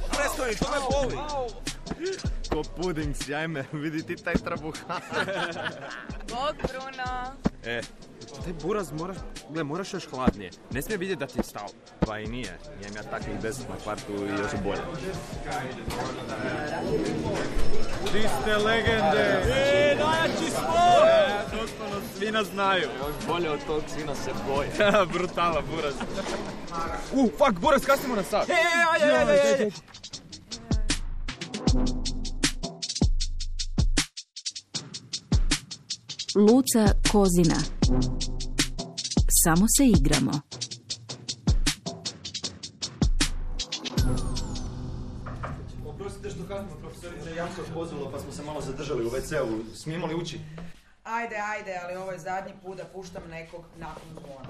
Prestani, to me boli! Ko puding, sjajme, vidi ti taj trabuh. Bog, Bruno. Taj buraz moraš još hladnije. Ne smije vidjeti da ti je stalo. Pa i nije, imam ja takvih 10 na kvartu i još bolje. Vi ste legende! Najjači smo! Doslovno svi nas znaju. Još bolje od tog svina se boje. Brutala buraz. Fuck, buraz, kasnimo na sat. Ajde. Luca Kozina. Samo se igramo. Oprostite što kasnimo, profesorica Janko pozvalo pa smo se malo zadržali u WC-u. Smijemo li ući? Ajde, ali ovo je zadnji put da puštam nekog nakon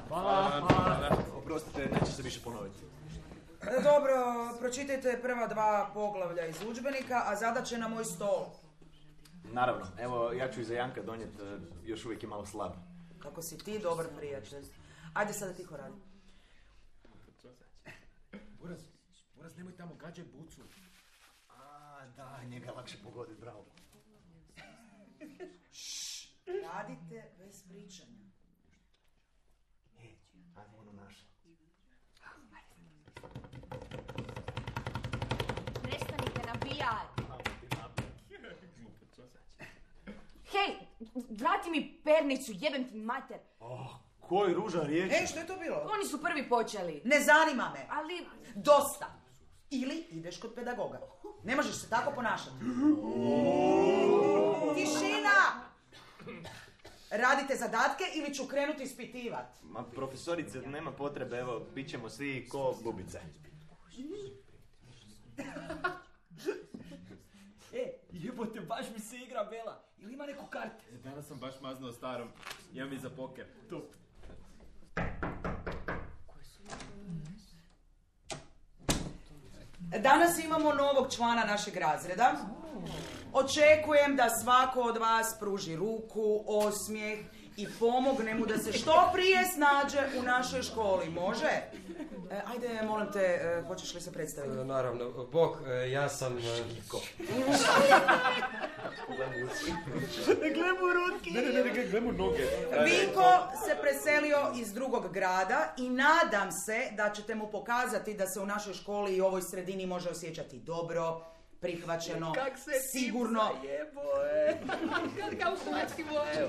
zvona. Oprostite, neće se više ponoviti. Dobro, pročitajte prva 2 poglavlja iz udžbenika, a zadaće na moj stol. Naravno, evo ja ću iza Janka donijeti, još uvijek je malo slab. Kako si ti dobar prijatelj. Ajde sada tiho radi. Buraz, nemoj tamo gađaj bucu. Da, njega lakše pogoditi, bravo. Radite bez pričanja. Ajde, ono naše. Prestanite nabijati. Hej, vrati mi pernicu, jebem ti mater. Koji ružan riječ. Što je to bilo? Oni su prvi počeli. Ne zanima me. Ali... Dosta. Ili ideš kod pedagoga. Ne možeš se tako ponašati. Tišina! Radite zadatke ili ću krenuti ispitivati. Ma profesorice, nema potrebe, evo, bit ćemo svi ko bubice. Jebote, baš mi se igra Bela. Ili ima neku karte? Danas sam baš maznao starom. Imam i za poker. Top. Danas imamo novog člana našeg razreda. Očekujem da svako od vas pruži ruku, osmijeh i pomogne mu da se što prije snađe u našoj školi. Može? Ajde, molim te, hoćeš li se predstaviti? Naravno. Bog, ja sam... Glemu noge. Vinko se preselio iz drugog grada i nadam se da ćete mu pokazati da se u našoj školi i ovoj sredini može osjećati dobro, prihvaćeno, sigurno. Kao hrvatski boje.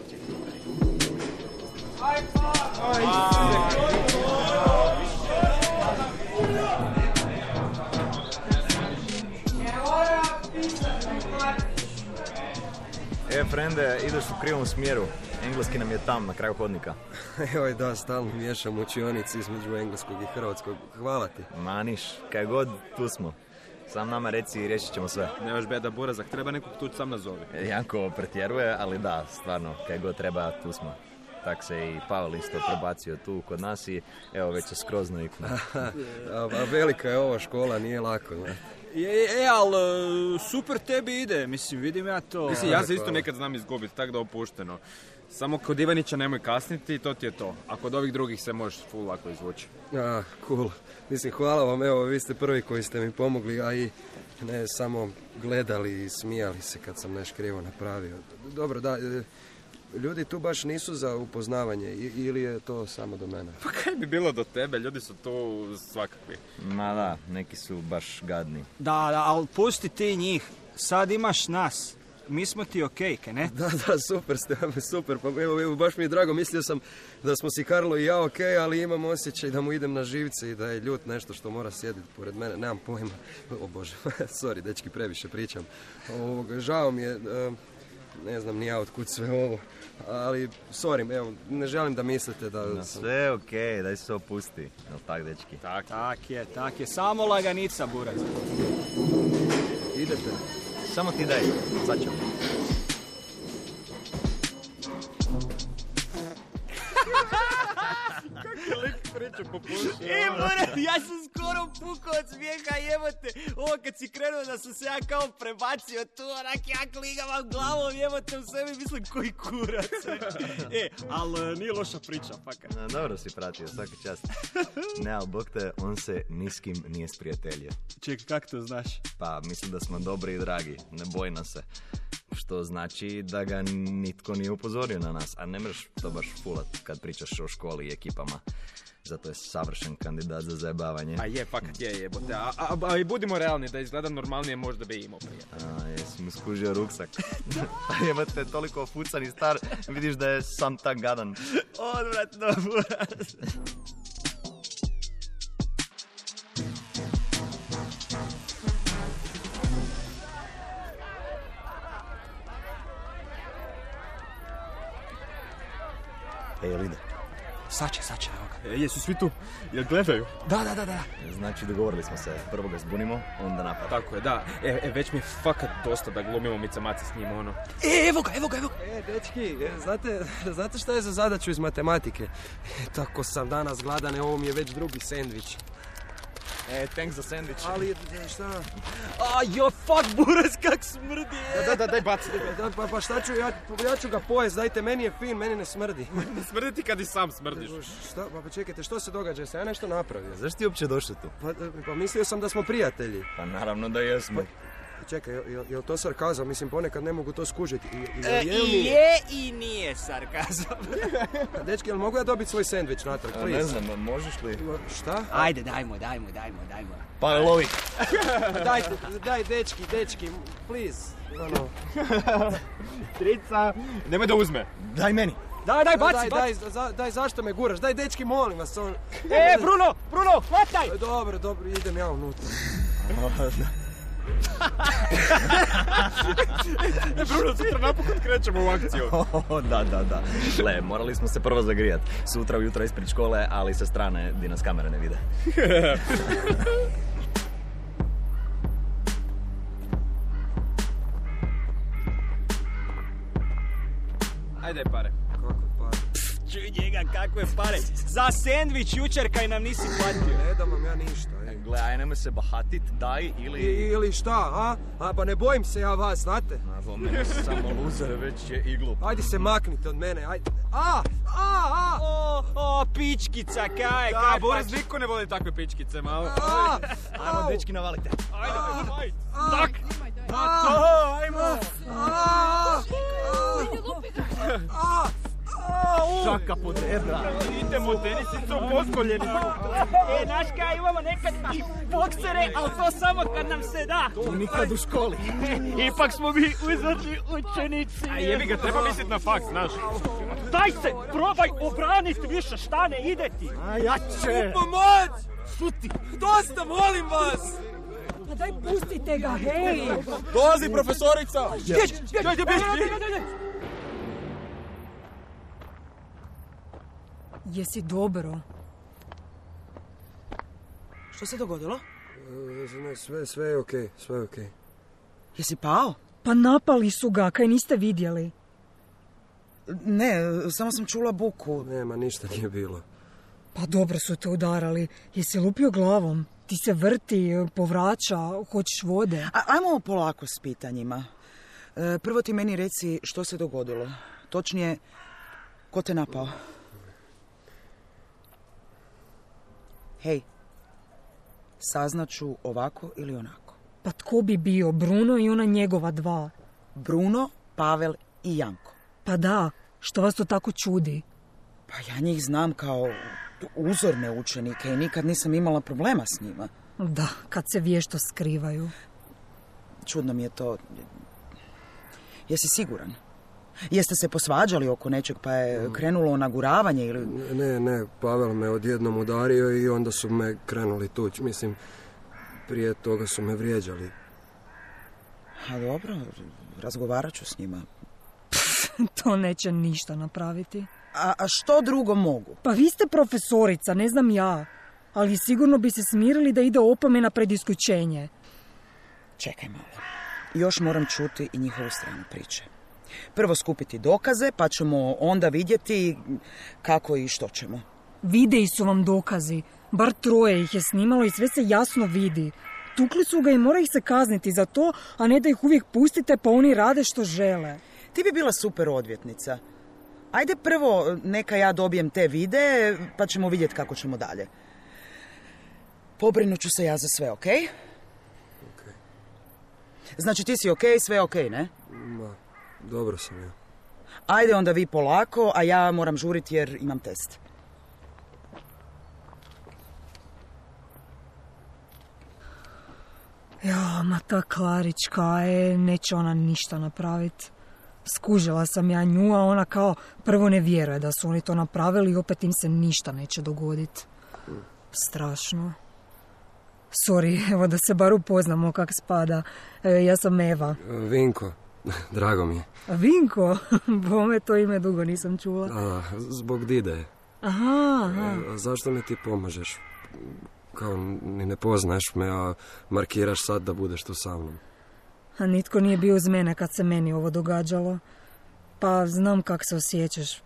Frende, ideš u krivom smjeru. Engleski nam je tam, na kraju hodnika. Joj da, stalno miješam učionici između engleskog i hrvatskog. Hvala ti. Maniš, kaj god, tu smo. Sam nama reci i riješit ćemo sve. Nemaš beda burazak, treba nekog tu sam nazovi. Janko pretjeruje, ali da, stvarno, kaj god treba, tu smo. Tak se i Pavel isto prebacio tu kod nas i evo već je skroz naviknuo. A velika je ova škola, nije lako, ne? Ali super tebi ide, mislim, vidim ja to. Mislim, ja se isto nekad znam izgubiti, tako da opušteno. Samo kod Ivanića nemoj kasniti i to ti je to. A kod ovih drugih se možeš full lako izvući. Cool. Mislim, hvala vam, evo, vi ste prvi koji ste mi pomogli, a i ne samo gledali i smijali se kad sam nešto krivo napravio. Dobro, da, ljudi tu baš nisu za upoznavanje ili je to samo do mene? Pa kaj bi bilo do tebe, ljudi su tu svakakvi. Ma da, neki su baš gadni. Da, ali pusti ti njih, sad imaš nas. Mi smo ti okej, ne? Da, super ste, super, pa evo, baš mi je drago, mislio sam da smo si Karlo i ja okej, ali imam osjećaj da mu idem na živce i da je ljut nešto što mora sjediti pored mene, nemam pojma. O Bože, sorry, dečki, previše pričam. Žao mi je, ne znam ni ja otkud sve ovo, ali sorry, evo, ne želim da mislite da... No, sve okej, daj se opusti, jel tak, dečki? Tak je, samo laganica, buraz. Idete? Samo ti daj, sad ćemo. Kako je lik kreće popušiti. Ja sam skoro pukao od smijeha, jebote. Ovo kad si krenuo da sam se ja kao prebacio tu, onak ja kligavam glavom, jebote u sebi, mislim koji kurac. Ali nije loša priča, fakat. Dobro si pratio, svaki čast. Ne, ali bog te, on se ni s kim nije sprijateljio. Čekaj, kak to znaš? Pa, mislim da smo dobri i dragi, ne boj nas se. Što znači da ga nitko nije upozorio na nas, a ne mreš to baš fulat kad pričaš o školi i ekipama. Zato je savršen kandidat za zajebavanje. A je, fakat je, jebote. A i budimo realni, da izgleda normalnije možda bi imao prije. Jesi mu skužio ruksak. Jebate, toliko ofucan i star, vidiš da je sam tak gadan. Odvratno, buraz. Ej, jel ide? Sad će, evo ga. Jesu svi tu? Jel gledaju? Da. Znači, dogovorili smo se. Prvo ga zbunimo, onda napad. Tako je, da. Već mi je fakat dosta da glumimo mica-maca s njim, ono. Evo ga. Dečki, znate šta je za zadaću iz matematike? Tako sam danas gladan, ovo mi je već drugi sendvič. Thanks za sandvič. Ali, šta? Fuck, buraz, kak smrdi. Da, daj baci. Pa šta ću, ja ću ga pojest, dajte, meni je fin, meni ne smrdi. Ne smrdi ti kad i sam smrdiš. Šta? Pa čekajte, što se događa? Sam ja nešto napravio? Zašto ti uopće došli tu? Pa mislio sam da smo prijatelji. Pa naravno da jesmo. Čekaj, jel to sarkazam? Mislim, ponekad ne mogu to skužiti. Je i nije sarkazam. Dečki, jel mogu ja dobiti svoj sendvič natrag, please? Ne znam, možeš li? Šta? Ajde, dajmo. Pa lovi. Daj, dečki, please. Trica, nemoj da uzme. Daj meni. Daj, baci. Daj, zašto me guraš? Daj, dečki, molim vas. Bruno, hvataj! Dobro, idem ja unutra. Bruno, sutra napokon krećemo u akciju. Da. Gle, morali smo se prvo zagrijat. Sutra ujutro ispred škole, ali sa strane di nas kamere ne vide. Ajde pare. Kako pare? Čuj njega, kakve pare. Za sendvič jučer kaj nam nisi platio. Ne dam vam ja ništa. Gle, aj nemoj se bahatit, daj Ili šta, a? Pa ne bojim se ja vas, znate? Ovo mene samo luzer, već je i glup. Ajde se maknite od mene, ajde. Pičkica, kaj Da, Boris, niko ne voli takve pičkice, malo. Ajmo, dečki, navalite. Ajde, tak! Ajmo! Šaka pod rebra. Idemo tenisicom poskoljeni. Znaš kaj, imamo nekad i boksere, ali to samo kad nam se da. To nikad u školi. Ipak smo mi uzorni učenici. A jebi ga, treba mislit na faks, znaš. Daj se, probaj obranit više, šta ne ide ti. A jače. Pomoć! Šuti. Dosta, molim vas! Pa daj pustite ga, hej! Dolazi profesorica! Jesi dobro? Što se dogodilo? Sve je okej, sve je okej. Jesi pao? Pa napali su ga, kaj niste vidjeli. Ne, samo sam čula buku. Nema, ništa nije bilo. Pa dobro su te udarali. Jesi lupio glavom? Ti se vrti, povraća, hoćeš vode. Ajmo polako s pitanjima. Prvo ti meni reci što se dogodilo. Točnije, ko te napao? Hej, saznaću ovako ili onako. Pa tko bi bio? Bruno i ona njegova dva. Bruno, Pavel i Janko. Pa da, što vas to tako čudi? Pa ja njih znam kao uzorne učenike i nikad nisam imala problema s njima. Da, kad se vješto skrivaju. Čudno mi je to. Jesi siguran? Jeste se posvađali oko nečeg pa je krenulo naguravanje ili... Ne, Pavel me odjednom udario i onda su me krenuli tući. Mislim, prije toga su me vrijeđali. A dobro, razgovarat ću s njima. To neće ništa napraviti. A što drugo mogu? Pa vi ste profesorica, ne znam ja. Ali sigurno bi se smirili da ide opomena pred isključenje. Čekaj malo. Još moram čuti i njihovu stranu priče. Prvo skupiti dokaze, pa ćemo onda vidjeti kako i što ćemo. Videi su vam dokazi. Bar 3 ih je snimalo i sve se jasno vidi. Tukli su ga i mora ih se kazniti za to, a ne da ih uvijek pustite pa oni rade što žele. Ti bi bila super odvjetnica. Ajde prvo neka ja dobijem te videe, pa ćemo vidjeti kako ćemo dalje. Pobrinut ću se ja za sve, okej? Okej. Znači ti si okej, sve okej, ne? Ma, dobro sam ja. Ajde onda vi polako, a ja moram žuriti jer imam test. Ja, ma ta Klarička, neće ona ništa napraviti. Skužila sam ja nju, a ona kao prvo ne vjeruje da su oni to napravili i opet im se ništa neće dogoditi. Strašno. Sorry, evo da se bar upoznamo kak spada. Ja sam Eva. Vinko, drago mi je. Vinko? Bome, to ime dugo nisam čula. Zbog Dide. Aha. Zašto mi ti pomažeš? Kao ni ne poznaš me, a markiraš sad da budeš tu sa mnom. A nitko nije bio uz mene kad se meni ovo događalo. Pa znam kak se osjećaš.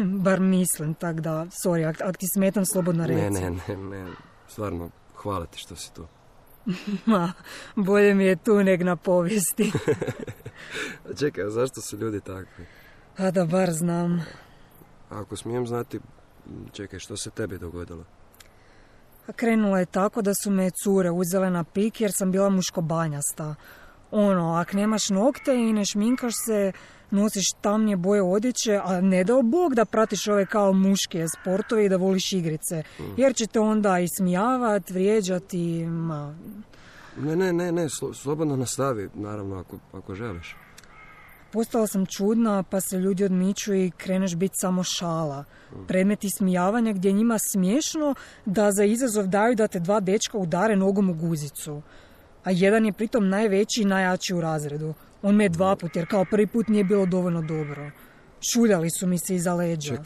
Bar mislim, tak da, sorry, ak ti smetam, slobodno reci. Ne, stvarno, hvala ti što si tu. Ma, bolje mi je tu neg na povijesti. Čekaj, zašto su ljudi takvi? A da bar znam. Ako smijem znati, čekaj, što se tebi dogodilo? A krenulo je tako da su me cure uzele na pik jer sam bila muškobanjasta. Ak nemaš nokte i ne šminkaš se, nosiš tamnije boje odjeće, a ne dao Bog da pratiš ove kao muške sportove i da voliš igrice. Jer će te onda ismijavat, vrijeđati, ma... Ne, slobodno nastavi, naravno, ako želiš. Postala sam čudna, pa se ljudi odmiču i kreneš biti samo šala. Predmet ismijavanja gdje je njima smiješno da za izazov daju da te 2 dečka udare nogom u guzicu. A jedan je pritom najveći i najjači u razredu. On me je 2 puta, jer kao prvi put nije bilo dovoljno dobro. Šuljali su mi se iza leđa.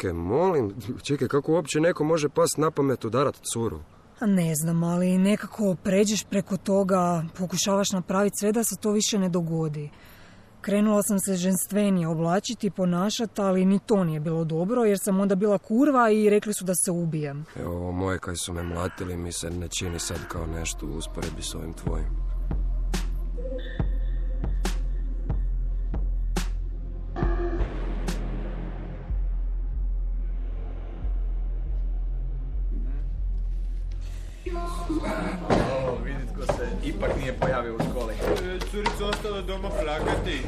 Čekaj, kako uopće neko može past na pamet udarat curu? A ne znam, ali nekako pređeš preko toga, pokušavaš napraviti sve da se to više ne dogodi. Krenula sam se ženstvenije oblačiti i ponašati, ali ni to nije bilo dobro, jer sam onda bila kurva i rekli su da se ubijem. Evo, moje kaj su me mlatili mi se ne čini sad kao nešto u usporedbi s ovim tvojim. Vidit ko se ipak nije pojavio u školi. Curica ostala doma plakati.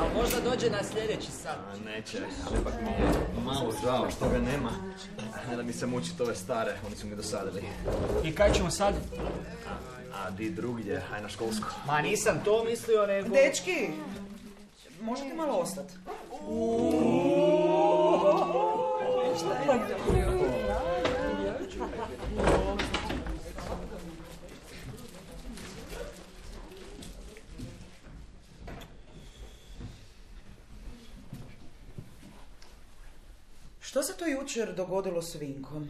A možda dođe na sljedeći sat. Neće, ali ipak mi je malo žao što ga nema. Ne da mi se mučiti ove stare, oni su mi dosadili. I kaj ćemo sad? A di drugdje, aj na školsko. Ma nisam to mislio, nego... Dečki, možete malo ostati? Što se to jučer dogodilo s Vinkom?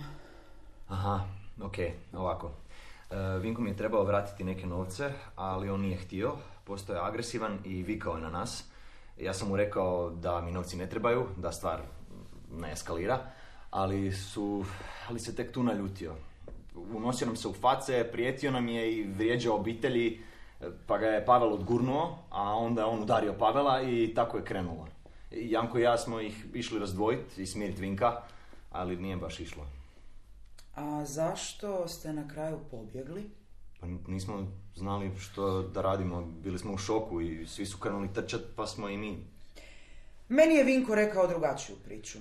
Aha, okej, ovako. Vinko mi je trebao vratiti neke novce, ali on nije htio, postao je agresivan i vikao je na nas. Ja sam mu rekao da mi novci ne trebaju, da stvar ne eskalira, ali se tek tu naljutio. Unosio nam se u face, prijetio nam je i vrijeđao obitelji, pa ga je Pavel odgurnuo, a onda je on udario Pavela i tako je krenulo. Janko i ja smo ih išli razdvojiti i smiriti Vinka, ali nije baš išlo. A zašto ste na kraju pobjegli? Pa nismo znali što da radimo, bili smo u šoku i svi su krenuli trčati, pa smo i mi. Meni je Vinko rekao drugačiju priču.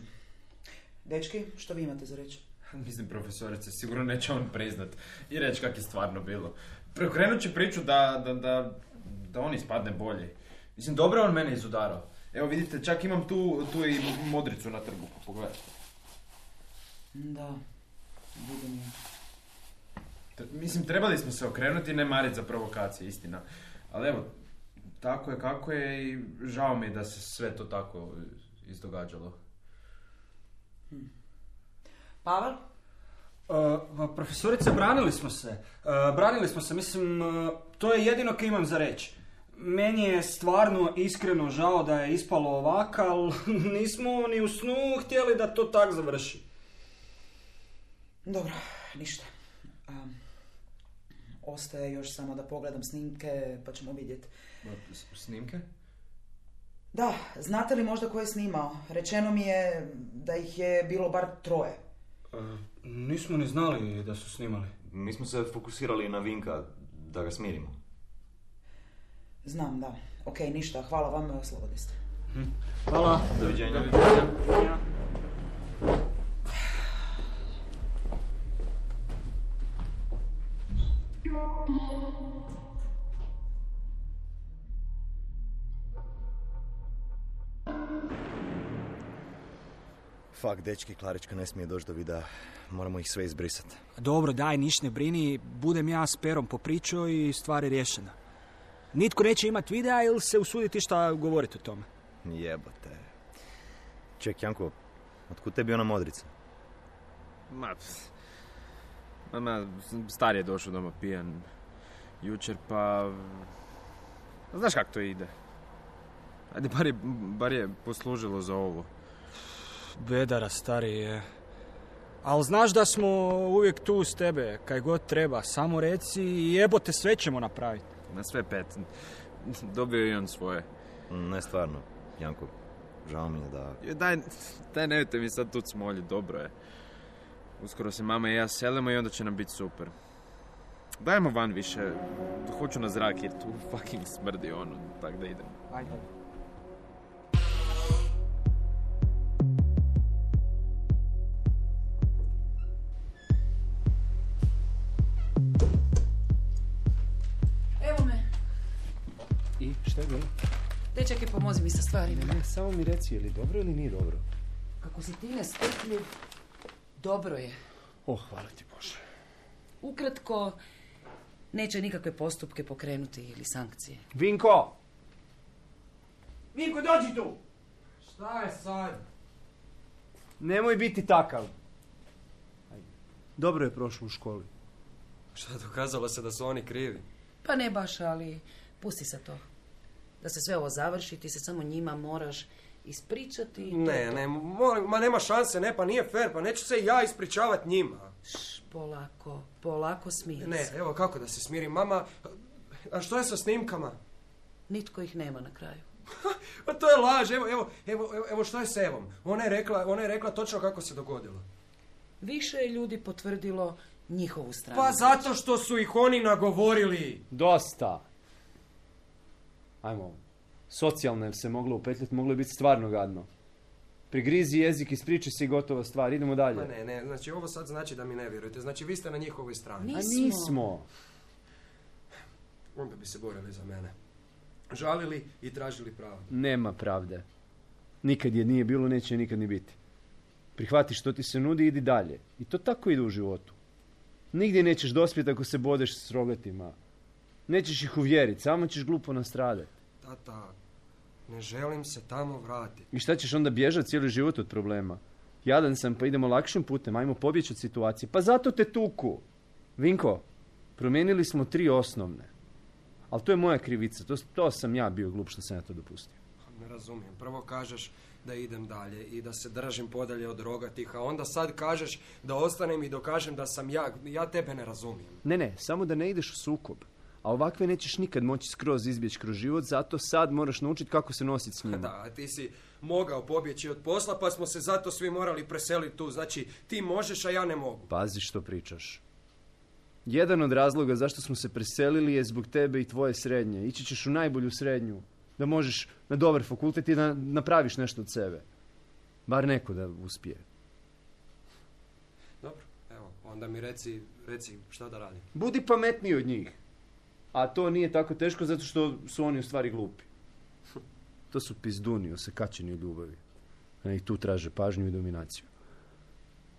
Dečki, što vi imate za reći? Mislim, profesorice, sigurno neće on priznat i reći kak je stvarno bilo. Preokrenut će priču da on ispadne bolji. Mislim, dobro on mene izudarao. Evo vidite, čak imam tu i modricu na trgu, pogledajte. Da, vidim je. Mislim, trebali smo se okrenuti i ne mariti za provokacije, istina. Ali evo, tako je kako je i žao mi je da se sve to tako izdogađalo. Pavel? Profesorice, branili smo se, mislim, to je jedino kaj imam za reći. Meni je stvarno iskreno žao da je ispalo ovak, ali nismo ni u snu htjeli da to tak završi. Dobro, ništa. Ostaje još samo da pogledam snimke, pa ćemo vidjeti. Snimke? Da, znate li možda ko je snimao? Rečeno mi je da ih je bilo bar 3. Nismo ni znali da su snimali. Mi smo se fokusirali na Vinka, da ga smirimo. Znam, da. Ok, ništa, hvala vam, slobodni ste. Hvala. Doviđenja. Fak, dečki, Klarička ne smije doći do videa. Moramo ih sve izbrisati. Dobro, daj, niš ne brini. Budem ja s Perom popričao i stvar je riješena. Nitko neće imat videa ili se usuditi šta govoriti o tome. Jebote. Ček, Janko, otkud tebi ona modrica? Star je došao doma pijan jučer, pa... Znaš kako to ide? Ajde, bar je poslužilo za ovo. Bedara, stari je. Ali znaš da smo uvijek tu s tebe, kaj god treba. Samo reci i jebote, sve ćemo napraviti. Na sve 5. Dobio je i on svoje. Ne, stvarno, Janko, žao mi je da... Daj, nemojte mi sad tu smolji, dobro je. Uskoro se mama i ja selimo i onda će nam biti super. Dajmo van više, hoću na zrak jer tu fucking smrdi tak da idemo. Ajde. Evo me. I šta je bilo? Dečak je, pomozi mi sa stvarima. Ne, samo mi reci, je li dobro ili nije dobro? Kako si ti nestrpljiv, dobro je. Hvala ti Bože. Ukratko, neće nikakve postupke pokrenuti ili sankcije. Vinko! Vinko, dođi tu! Šta je sad? Nemoj biti takav. Dobro je prošlo u školi. Šta, dokazalo se da su oni krivi? Pa ne baš, ali pusti se to. Da se sve ovo završi, ti se samo njima moraš ispričati. I ne, molim, ma nema šanse, ne, pa nije fair, pa neću se ja ispričavati njima. Polako smiri se. Ne, evo kako da se smirim, mama, a što je sa snimkama? Nitko ih nema na kraju. Pa to je laž, evo što je s Evom? Ona je rekla točno kako se dogodilo. Više je ljudi potvrdilo njihovu stranu. Pa zato što su ih oni nagovorili. Dosta. Ajmo, socijalno se moglo upetljati, moglo je biti stvarno gadno. Prigrizi jezik, ispriči si gotova stvar, idemo dalje. Ma ne, znači ovo sad znači da mi ne vjerujete, znači vi ste na njihovoj strani. Nismo. Onda bi se borili za mene. Žalili i tražili pravdu. Nema pravde. Nikad je nije bilo, neće nikad ni biti. Prihvati što ti se nudi, idi dalje. I to tako ide u životu. Nigdje nećeš dospjeti ako se bodeš s rogatima. Nećeš ih uvjeriti, samo ćeš glupo nastradati. Tata, ne želim se tamo vratiti. I šta ćeš onda bježati cijeli život od problema? Jadan sam, pa idemo lakšim putem, ajmo pobjeći od situacije. Pa zato te tuku. Vinko, promijenili smo 3 osnovne. Ali to je moja krivica, to sam ja bio glup što sam ja to dopustio. Ne razumijem. Prvo kažeš da idem dalje i da se držim podalje od rogatih, a onda sad kažeš da ostanem i dokažem da sam ja tebe ne razumijem. Ne, samo da ne ideš u sukob. A ovakve nećeš nikad moći skroz izbjeći kroz život, zato sad moraš naučiti kako se nositi s njima. Da, a ti si mogao pobjeći od posla, pa smo se zato svi morali preseliti tu. Znači, ti možeš, a ja ne mogu. Pazi što pričaš. Jedan od razloga zašto smo se preselili je zbog tebe i tvoje srednje. Ići ćeš u najbolju srednju, da možeš na dobar fakultet i da napraviš nešto od sebe. Bar neko da uspije. Dobro, evo, onda mi reci šta da radim. Budi pametniji od njih. A to nije tako teško zato što su oni u stvari glupi. To su pizduni, osekačeni od ljubavi. I tu traže pažnju i dominaciju.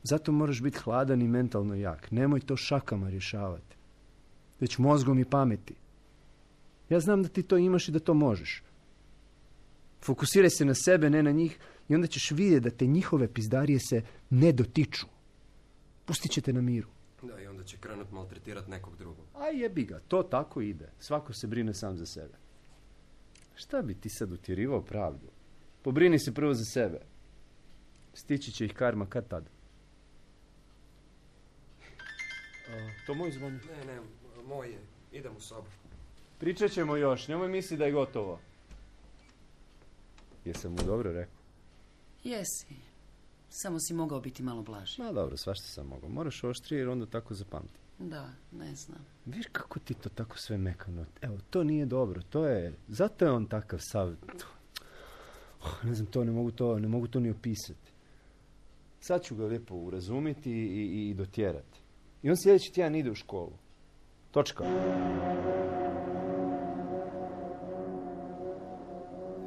Zato moraš biti hladan i mentalno jak. Nemoj to šakama rješavati. Već mozgom i pameti. Ja znam da ti to imaš i da to možeš. Fokusiraj se na sebe, ne na njih, i onda ćeš vidjeti da te njihove pizdarije se ne dotiču. Pustit će te na miru. Da, i onda će krenut maltretirati nekog drugog. A jebi ga, to tako ide. Svako se brine sam za sebe. Šta bi ti sad utjerivao pravdu? Pobrini se prvo za sebe. Stići će ih karma kad tad. To moj zvoni. Ne, moj je. Idem u sobu. Pričat ćemo još, nemoj misli da je gotovo. Jesam mu dobro rekao? Jesi. Samo si mogao biti malo blaži. Ma dobro, svašta sam mogao. Moraš oštrije jer onda tako zapamti. Da, ne znam. Viš kako ti to tako sve mekano. Evo, to nije dobro. To je... Zato je on takav sav... Ne znam, ne mogu to ni opisati. Sad ću ga lijepo urazumiti i dotjerati. I on sljedeći tjedan ide u školu. Točka.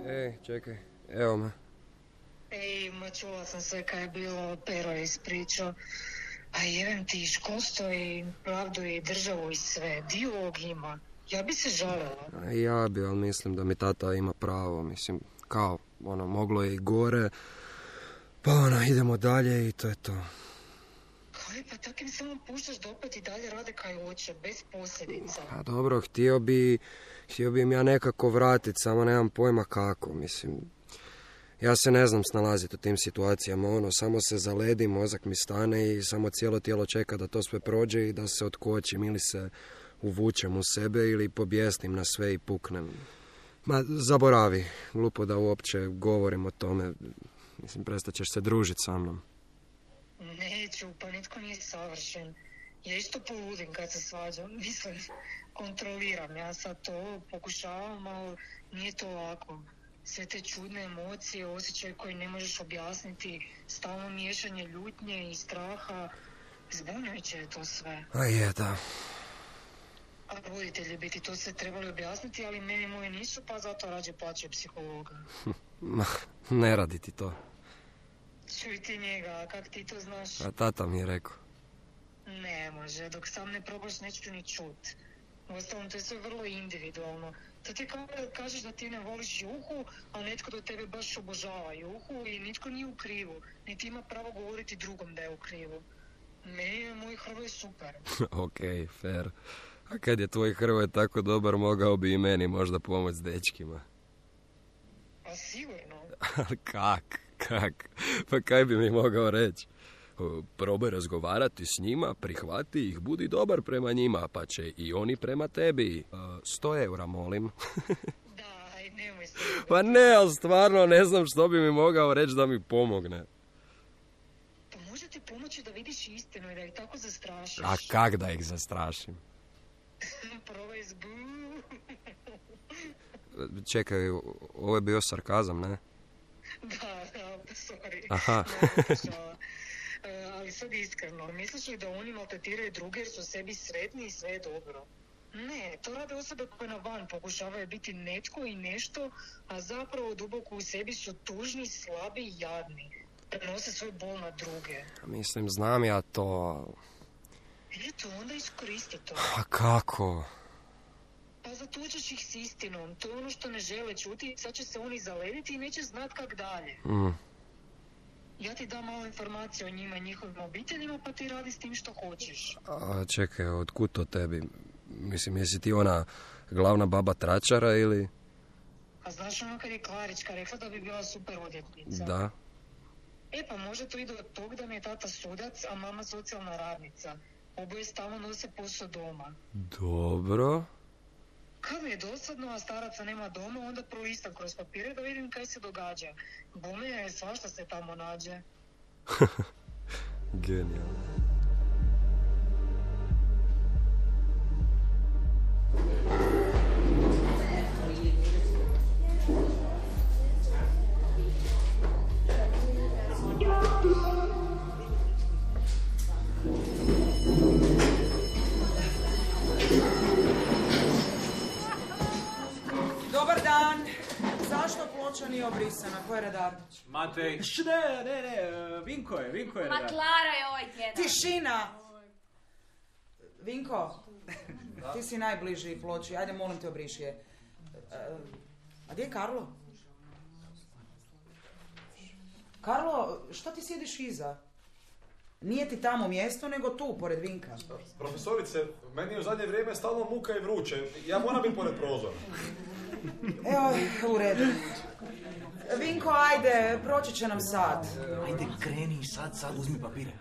Ej, čekaj. Evo me. Ej, ma čula sam sve kaj je bilo, Pero je ispričao. A jevem ti, školstvo i pravdu i državu i sve. Dio ovog ima. Ja bi se žalila. Ja bi, ali mislim da mi tata ima pravo. Mislim, kao, moglo je i gore. Pa idemo dalje i to je to. Kaj, pa tak im samo puštaš da opet i dalje rade kaj hoće, bez posljedica. A dobro, htio bi im ja nekako vratiti, samo nemam pojma kako, mislim. Ja se ne znam snalaziti u tim situacijama, samo se zaledi, mozak mi stane i samo cijelo tijelo čeka da to sve prođe i da se otkočim ili se uvučem u sebe ili pobjesnim na sve i puknem. Ma, zaboravi, glupo da uopće govorim o tome, mislim, prestat ćeš se družiti sa mnom. Neću, pa nitko nije savršen. Ja isto poludim kad se svađam, mislim, kontroliram, ja sad to pokušavam, ali nije to lako. Sve te čudne emocije, osjećaje koje ne možeš objasniti, stalno miješanje ljutnje i straha, zbunjujuće je to sve. A je, da. A roditelji bi ti to sve trebali objasniti, ali meni moji nisu, pa zato rađe plaćaju psihologa. Ma, ne radi ti to. Čuj ti njega, a kak ti to znaš? A tata mi je rekao. Ne može, dok sam ne probaš neću ni čut. Uostalom, to je sve vrlo individualno. To ti kao da kažeš da ti ne voliš Juhu, a netko do tebe baš obožava Juhu i nitko nije u krivu. Niti ima pravo govoriti drugom da je u krivu. Meni je moj Hrvoj super. Okej, fair. A kad je tvoj Hrvoj tako dobar, mogao bi i meni možda pomoći s dečkima. A sigurno. Ali kak? Pa kaj bi mi mogao reći? Probaj razgovarati s njima, prihvati ih, budi dobar prema njima, pa će i oni prema tebi. 100 eura, molim. Daj, nemoj se. Pa ne, ali stvarno ne znam što bi mi mogao reći da mi pomogne. Pa može ti pomoći da vidiš istinu i da ih tako zastrašiš. A kak da ih zastrašim? Probaj zbu. Čekaj, ovo je bio sarkazam, ne? Da, sorry. Aha. Ali sad iskreno, misliš li da oni maltretiraju druge jer su sebi sretni i sve je dobro? Ne, to rade osobe koje na van pokušavaju biti netko i nešto, a zapravo duboko u sebi su tužni, slabi i jadni. Prenose svoj bol na druge. Mislim, znam ja to. Eto, onda iskoristi to. A kako? Pa zatučeš ih s istinom, to je ono što ne žele čuti, sad će se oni zalediti i neće znat kak dalje. Ja ti dam malo informacije o njima i njihovim obiteljima, pa ti radi s tim što hoćeš. A čekaj, otkud to tebi? Mislim, jesi ti ona glavna baba tračara ili... A znaš ono kad je Klarička rekla da bi bila super odvjetnica? Da. Pa može to ide od tog da mi je tata sudac, a mama socijalna radnica. Oboje stalno nose posao doma. Dobro. Kad mi je dosadno, a staraca nema doma, onda prolistam kroz papire da vidim kaj se događa. Bome je svašta se tamo nađe. Genijalno. Dobar dan. Zašto ploča nije obrisana? Ko je redar? Matej. Ne, Vinko je redar. Ma Klara je ovaj tjedan. Tišina! Vinko, ti si najbliži ploči. Ajde, molim te, obriši je. A gdje je Karlo? Karlo, što ti sjediš iza? Nije ti tamo mjesto, nego tu, pored Vinka. Profesorice, meni je u zadnje vrijeme stalno muka i vruće. Ja moram biti pored prozora. Evo, u redu. Vinko, ajde, proći će nam sad. Ajde, kreni sad, uzmi papire.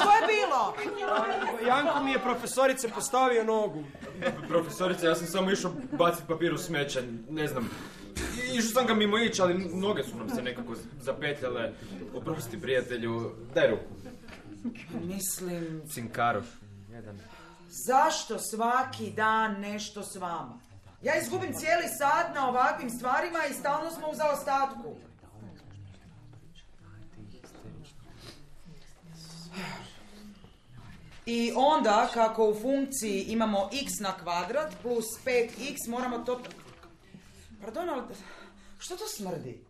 Što je bilo? Janko mi je profesorice postavio nogu. Profesorice, ja sam samo išao baciti papir u smeće, ne znam. Išao sam ga mimo ići, ali noge su nam se nekako zapetljale. Oprosti, prijatelju, daj ruku. Mislim... Cinkarov, jedan. Zašto svaki dan nešto s vama? Ja izgubim cijeli sat na ovakvim stvarima i stalno smo u zaostatku. I onda, kako u funkciji imamo x na kvadrat plus 5x, moramo to... Pardon, ali što to smrdi?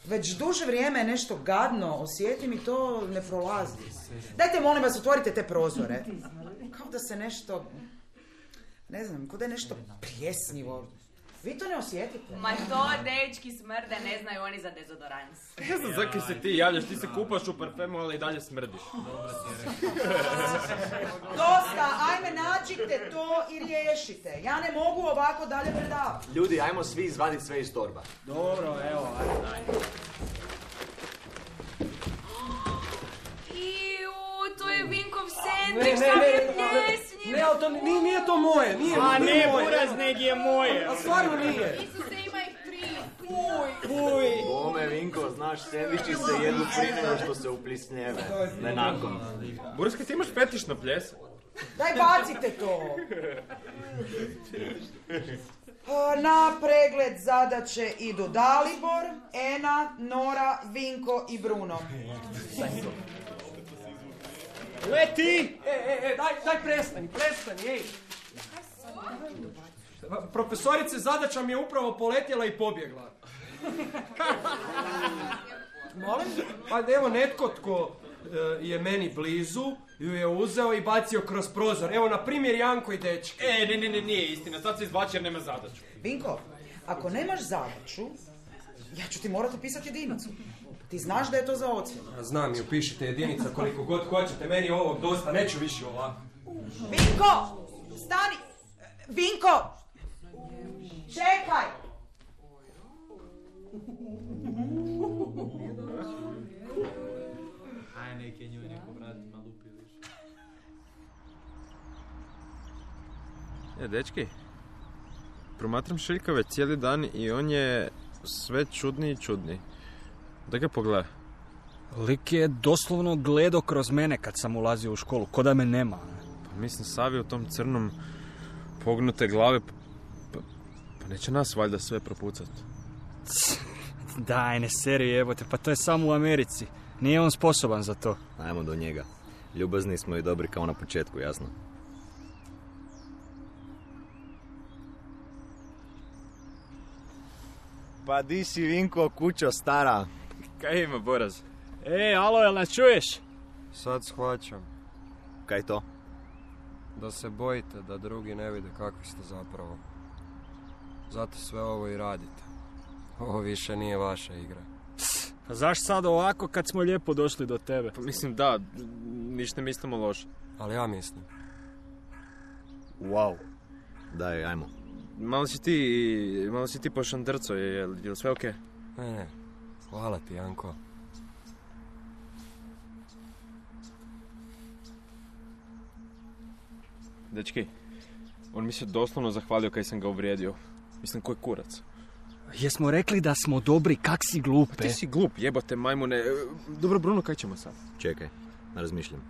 Već duže vrijeme je nešto gadno, osjetim i to ne prolazi. Dajte, molim vas, otvorite te prozore. Kao da se nešto... Ne znam, kao da je nešto pljesnivo. Vi to ne osjetite? Ma to dečki smrde, ne znaju oni za dezodorans. Ne znam zakaj se ti javljaš, ti se kupaš u parfemu, ali i dalje smrdiš. Dosta, ajme nađite to i riješite. Ja ne mogu ovako dalje predavati. Ljudi, ajmo svi izvaditi sve iz torba. Dobro, evo, ajde. To je Vinkov sendvič, sam je pljesnjiv. Ne, ali to nije to moje, nije A moje. ne, buraz, neg je moje. A stvarno nije. Isuse, ima ih 3. Fuj. Bome, Vinko, znaš, sendviči se jedu prije nego što se uplisnjeve. Ne nakon. Buraska, ti imaš fetiš na pljesak? Daj bacite to. Na pregled zadaće idu Dalibor, Ena, Nora, Vinko i Bruno. Leti! Daj prestani, ej. Profesorice, zadaća mi je upravo poletjela i pobjegla. Molim? Pa evo netko tko je meni blizu, ju je uzeo i bacio kroz prozor. Evo, na primjer, Janko i dečki. Ne, nije istina, sad se izbači jer nema zadaću. Vinko, ako nemaš zadaću, ja ću ti morati pisati jedinicu. Ti znaš da je to za ocjenu. Znam, i upišite jedinica koliko god hoćete, meni je ovog dosta, neću više ovako. Vinko! Stani! Vinko! Čekaj! Aj, neke njoj neko vratima lupi više. Dečki, promatram Šiljka već cijeli dan i on je sve čudniji i čudniji. Da ga pogledaj. Lik je doslovno gledao kroz mene kad sam ulazio u školu, ko da me nema. Pa mislim, Savi u tom crnom pognute glave, pa neće nas valjda sve propucat. Daj, ne seri, jebote, pa to je samo u Americi. Nije on sposoban za to. Ajmo do njega. Ljubazni smo i dobri kao na početku, jasno. Pa di si, Vinko, kućo stara? Kaj ima, Boraz? Alo, jel nas čuješ? Sad shvaćam. Kaj to? Da se bojite da drugi ne vide kakvi ste zapravo. Zato sve ovo i radite. Ovo više nije vaša igra. Pa zašto sad ovako kad smo lijepo došli do tebe? Pa mislim da, ništa ne mislimo loše. Ali ja mislim. Wow. Daj, ajmo. Malo si ti pošandrco, je li sve okej? Ne, hvala ti, Janko. Dečki, on mi se doslovno zahvalio kaj sam ga uvrijedio. Mislim, koji kurac. Jesmo rekli da smo dobri, kak si glupe? Pa ti si glup, jebote majmune. Dobro, Bruno, kaj ćemo sad? Čekaj, razmišljam.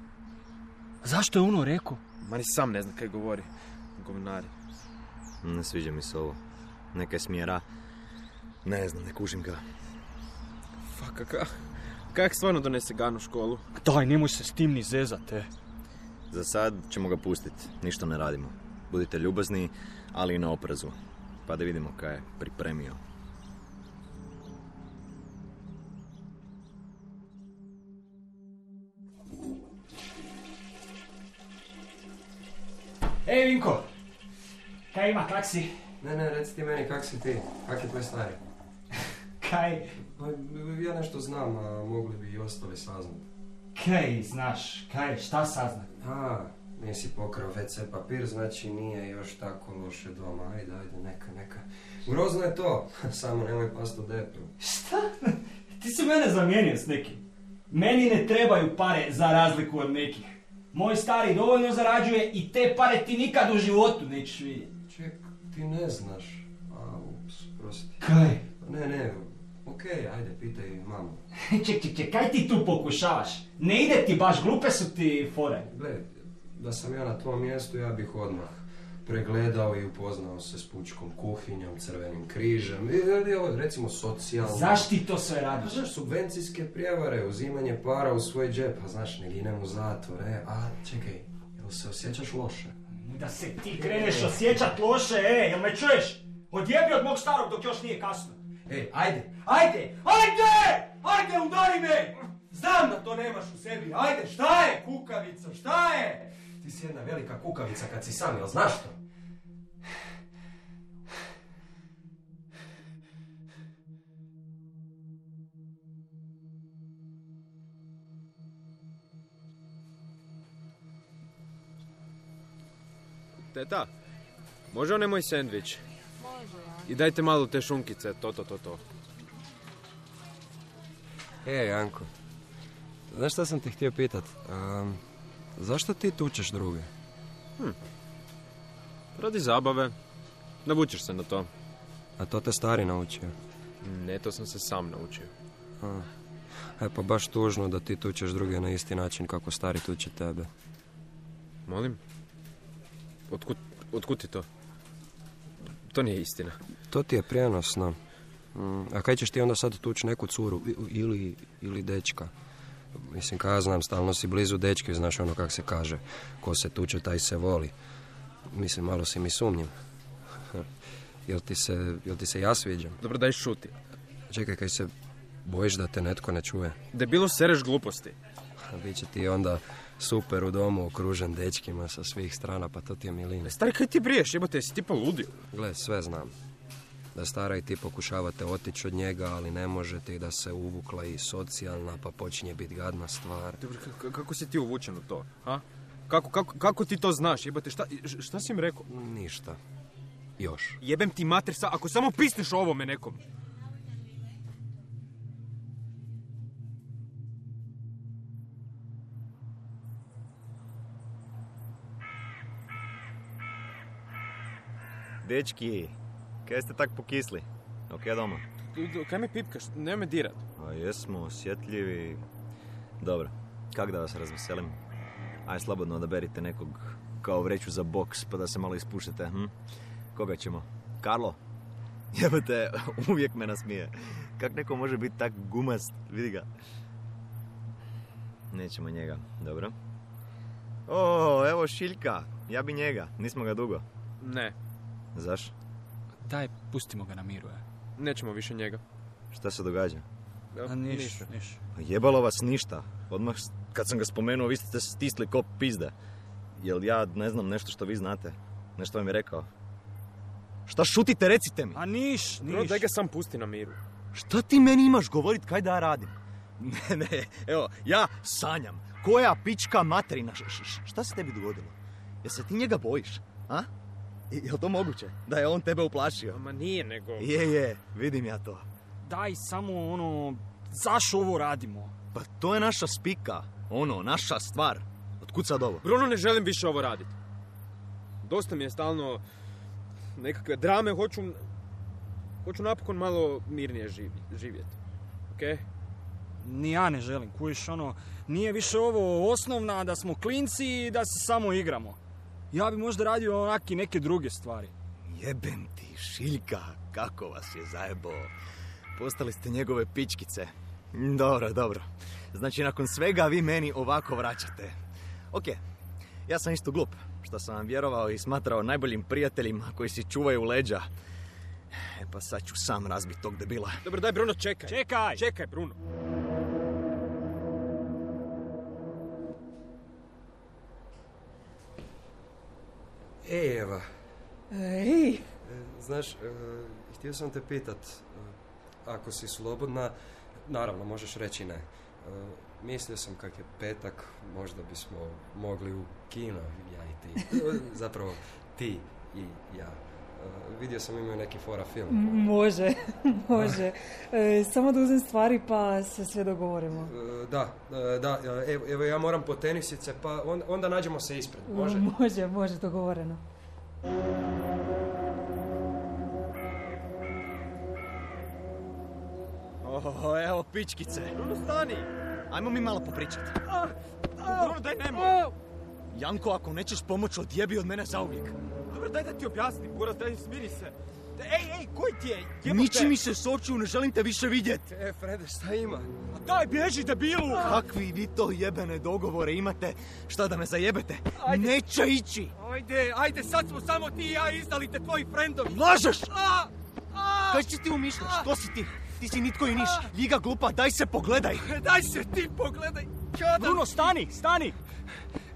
Zašto je ono rekao? Ma ni sam ne zna kaj govori. Govnari. Ne sviđa mi se ovo. Neka smjera. Ne znam, ne kužim ga. Kak stvarno donese Gan u školu? Daj, nemoj se s tim ni zezate. Za sad ćemo ga pustiti. Ništa ne radimo. Budite ljubazni, ali i na oprezu. Pa da vidimo kaj je pripremio. Ej, Vinko! Kaj ima, kak si? Ne, reci ti meni kak si ti, kak je tvoj stari? Kaj? Ja nešto znam, a mogli bi i ostali saznati. Kaj znaš, kaj, šta saznat? Nisi pokrao WC papir, znači nije još tako loše doma. Ajde, neka. Grozno je to, samo nemoj past u depu. Šta? Ti si mene zamijenio s nekim. Meni ne trebaju pare za razliku od nekih. Moj stari dovoljno zarađuje i te pare ti nikad u životu nećeš vidjeti. Ček, ti ne znaš. Prosti. Kaj? Ne, okej, ajde, pitaj mamu. Ček, kaj ti tu pokušavaš? Ne ide ti baš, glupe su ti fore. Gle, da sam ja na tvom mjestu, ja bih odmah pregledao i upoznao se s pučkom kuhinjom, Crvenim križem, recimo socijalno. Zašto ti to sve radiš? Znaš, subvencijske prijevare, uzimanje para u svoj džep, a znaš, ne ginem u zatvor, a čekaj, jel se osjećaš loše? Da se ti kreneš osjećat loše, jel me čuješ? Odjebi od mog starog dok još nije kasno. Ajde, udari me! Znam da to nemaš u sebi, ajde, šta je kukavica, šta je? Ti si jedna velika kukavica kad si sam, jel znaš to? Teta, može onaj moj sendvič? I dajte malo te šunkice, to. Janko, znaš šta sam te htio pitat? Zašto ti tučeš druge? Radi zabave. Navučeš se na to. A to te stari naučio? Ne, to sam se sam naučio. Pa baš tužno da ti tučeš druge na isti način kako stari tuče tebe. Molim? Otkud ti to? To nije istina. To ti je prijenosno. A kaj ćeš ti onda sad tući neku curu ili dečka? Mislim, kaj ja znam, stalno si blizu dečki, znaš ono kak se kaže. Ko se tuče, taj se voli. Mislim, malo si mi sumnjiv. Jel ti se ja sviđam? Dobro, daj šuti. Čekaj, kaj se bojiš da te netko ne čuje? Debilo, sereš gluposti. Biće ti onda super u domu, okružen dečkima sa svih strana, pa to ti je milina. Stari, kaj ti briješ, jebote, jesi ti poludio? Gle, sve znam. Da stara i ti pokušavate otići od njega, ali ne možete, i da se uvukla i socijalna, pa počinje biti gadna stvar. Dobro, kako si ti uvučen u to, ha? Kako ti to znaš, jebote, šta si im rekao? Ništa. Još. Jebem ti mater, ako samo pisneš o ovome nekom. Dečki, kaj ste tak pokisli? Ok, doma? Kaj me pipkaš? Ne me dirat. A jesmo osjetljivi. Dobro, kak da vas razveselim? Aj, slobodno odaberite nekog kao vreću za boks, pa da se malo ispušete. Koga ćemo? Karlo? Jebate, uvijek me nasmije. Kak neko može biti tak gumast? Vidi ga. Nećemo njega, dobro. O, evo Šiljka. Ja bi njega, nismo ga dugo. Ne. Zaš? Daj, pustimo ga na miru, Nećemo više njega. Šta se događa? Ništa. Jebalo vas ništa. Odmah kad sam ga spomenuo, vi ste stisli ko pizde. Jel ja ne znam nešto što vi znate? Nešto vam je rekao? Šta šutite, recite mi? A niš. Bro, daj ga sam pusti na miru. Šta ti meni imaš govorit kaj da ja radim? Ne, evo, ja sanjam. Koja pička materina? Šta se tebi dogodilo? Jel se ti njega bojiš? A? Jel to moguće? Da je on tebe uplašio? Ma nije, nego... Je, vidim ja to. Daj samo zašto ovo radimo? Pa to je naša spika. Naša stvar. Otkud sad ovo? Bruno, ne želim više ovo raditi. Dosta mi je stalno nekakve drame, hoću napokon malo mirnije živjeti. Okej? Ni ja ne želim, kužiš, nije više ovo osnovna, da smo klinci i da se samo igramo. Ja bi možda radio neke druge stvari. Jebem ti, Šiljka, kako vas je zajebo. Postali ste njegove pičkice. Dobro. Znači, nakon svega vi meni ovako vraćate. Ok, ja sam isto glup, što sam vam vjerovao i smatrao najboljim prijateljima koji si čuvaju leđa. Pa sad ću sam razbiti tog debila. Dobro, daj Bruno, čekaj. Čekaj, Bruno. Ej, Eva. Ej. Znaš, htio sam te pitat, ako si slobodna, naravno, možeš reći ne. Mislio sam kak je petak, možda bismo mogli u kino, ja i ti. Zapravo, ti i ja. Vidio sam imaju neki fora film. Može, može. Samo da uzem stvari pa se sve dogovorimo. Da, evo ja moram po tenisice, pa onda nađemo se ispred, može? Može, dogovoreno. Evo pičkice. Bruno, stani! Ajmo mi malo popričati. Bruno, daj nemoj! Janko, ako nećeš pomoći, odjebi od mene zauvijek. Dobro, daj da ti objasnim, Buraz, daj smiri se. Ej, koji ti je? Jebote. Niči mi se s očiju, ne želim te više vidjeti. Frede, šta ima? A daj, bježi, debilu! Kakvi vi to jebene dogovore imate? Šta da me zajebete? Ajde. Neće ići! Ajde, sad smo samo ti i ja izdali te tvoji frendovi. Lažeš! Kaj si ti umišljaš? Što si ti? Ti si nitko i niš. Ljiga glupa, daj se pogledaj. Daj se ti pogledaj. Bruno, stani!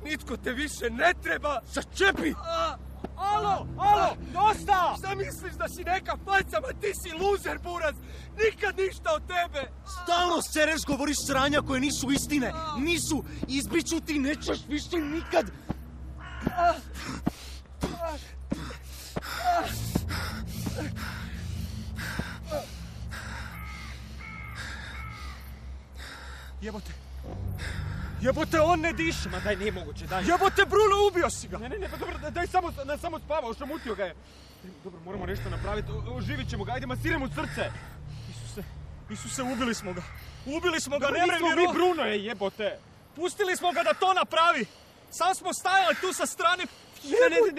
Nitko te više ne treba. Začepi! Alo, dosta! Šta misliš da si neka faca, ma ti si luzer, Buraz. Nikad ništa od tebe. Stalno sereš, govoriš sranja koje nisu istine. Nisu. Izbiću ti, nećeš više nikad. Jebote, on ne diše. Ma daj, nije moguće, daj. Jebote, Bruno, ubio si ga. Ne, pa dobro, daj samo spavao, šamutio ga je. Dobro, moramo nešto napraviti, oživit ćemo ga, ajde, masiramo srce. Isuse, ubili smo ga. Ne mrem mi, Bruno je, jebote. Pustili smo ga da to napravi. Sam smo stajali tu sa strane.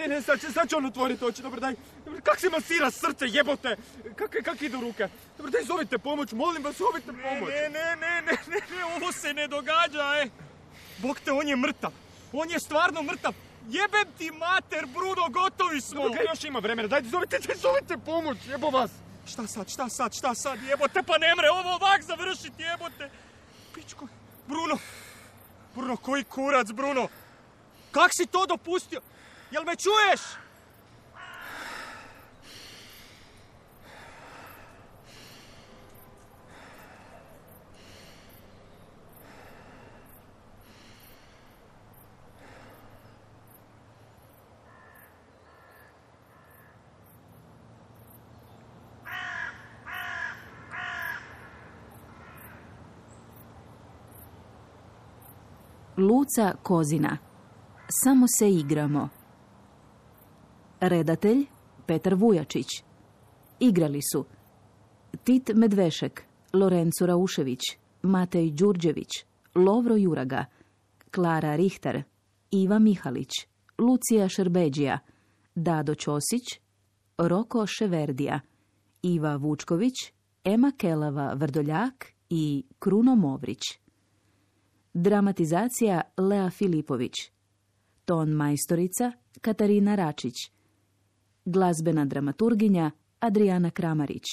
Ne, sad će on otvoriti oči, dobro, daj. Kak se masira srce, jebote? Kak idu ruke? Dobro, daj, zovite pomoć, molim vas, zovite pomoć. Ne, ovo se ne događa, Bog te, on je mrtav. On je stvarno mrtav. Jebem ti mater, Bruno, gotovi smo. Dobro, još ima vremena, dajte, zovite pomoć, jebo vas. Šta sad, jebote, pa ne mre ovo ovak završiti, jebote. Pičko, Bruno, koji kurac, Bruno? Kak si to dopustio? Jel me čuješ? Luca Kozina. Samo se igramo. Redatelj Petar Vujačić. Igrali su Tit Medvešek, Lorenzo Raušević, Matej Đurđević, Lovro Juraga, Klara Rihter, Iva Mihalić, Lucija Šerbeđija, Dado Ćosić, Roko Ševerdija, Iva Vučković, Ema Kelava Vrdoljak i Kruno Movrić. Dramatizacija Lea Filipović. Ton majstorica Katarina Račić. Glazbena dramaturginja Adriana Kramarić.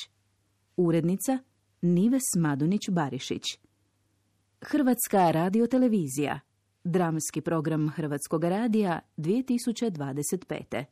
Urednica Nives Madunić-Barišić. Hrvatska radiotelevizija. Dramski program Hrvatskog radija 2025.